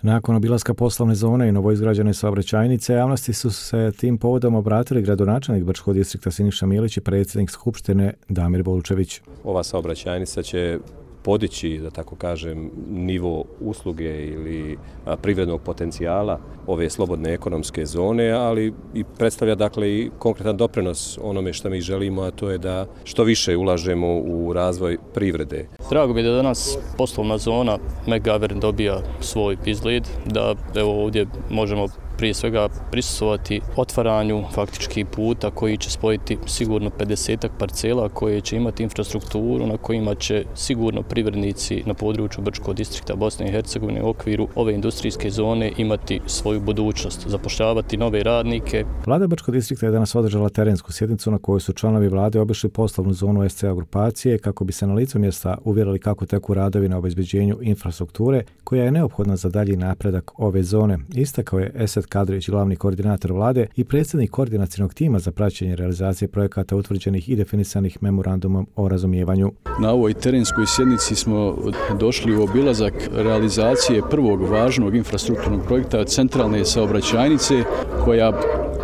Nakon obilaska poslovne zone i novoizgrađene saobraćajnice, javnosti su se tim povodom obratili gradonačelnik Brčkog distrikta Siniša Milić i predsjednik Skupštine Damir Volčević. Ova saobraćajnica će podići, da tako kažem, nivo usluge ili privrednog potencijala ove slobodne ekonomske zone, ali i predstavlja dakle i konkretan doprinos onome što mi želimo, a to je da što više ulažemo u razvoj privrede. Drago mi je da danas poslovna zona Megavern dobija svoj izgled, da evo ovdje možemo prije svega prisustvovati otvaranju faktički puta koji će spojiti sigurno 50-ak parcela koje će imati infrastrukturu na kojima će sigurno privrednici na području Brčkog distrikta Bosne i Hercegovine u okviru ove industrijske zone imati svoju budućnost, zapošljavati nove radnike. Vlada Brčkog distrikta je danas održala terensku sjednicu na kojoj su članovi vlade obišli poslovnu zonu SCA grupacije kako bi se na licu mjesta uvjerili kako teku radovi na obezbeđenju infrastrukture koja je neophodna za dalji napredak ove zone. Istakao je Esad Kadrić, glavni koordinator vlade i predsjednik koordinacionog tima za praćenje realizacije projekata utvrđenih i definisanih memorandumom o razumijevanju. Na ovoj terenskoj sjednici smo došli u obilazak realizacije prvog važnog infrastrukturnog projekta centralne saobraćajnice koja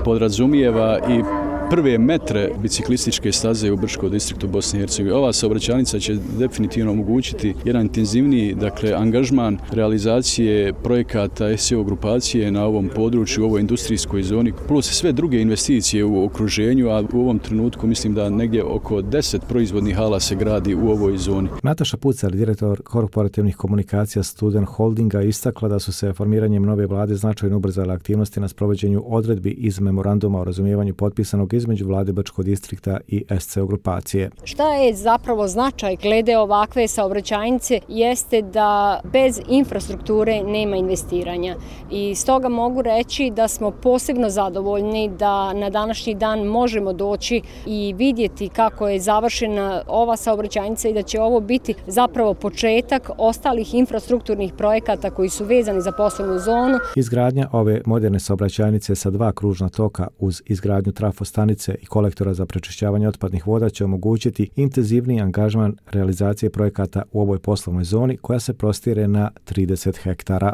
podrazumijeva i prve metre biciklističke staze u Brčkom distriktu Bosne i Hercegovine. Ova saobraćajnica će definitivno omogućiti jedan intenzivniji angažman realizacije projekata SCO grupacije na ovom području, u ovoj industrijskoj zoni, plus sve druge investicije u okruženju, a u ovom trenutku mislim da negdje oko 10 proizvodnih hala se gradi u ovoj zoni. Nataša Pucar, direktor korporativnih komunikacija Student Holdinga, istakla da su se formiranjem nove vlade značajno ubrzale aktivnosti na sprovođenju odredbi iz memoranduma o razumijevanju potpisanog između vlade Brčkog distrikta i SCO grupacije. Šta je zapravo značaj glede ovakve saobraćajnice jeste da bez infrastrukture nema investiranja. I stoga mogu reći da smo posebno zadovoljni da na današnji dan možemo doći i vidjeti kako je završena ova saobraćajnica i da će ovo biti zapravo početak ostalih infrastrukturnih projekata koji su vezani za poslovnu zonu. Izgradnja ove moderne saobraćajnice sa 2 kružna toka uz izgradnju trafostanice i kolektora za prečišćavanje otpadnih voda će omogućiti intenzivniji angažman realizacije projekata u ovoj poslovnoj zoni koja se prostire na 30 hektara.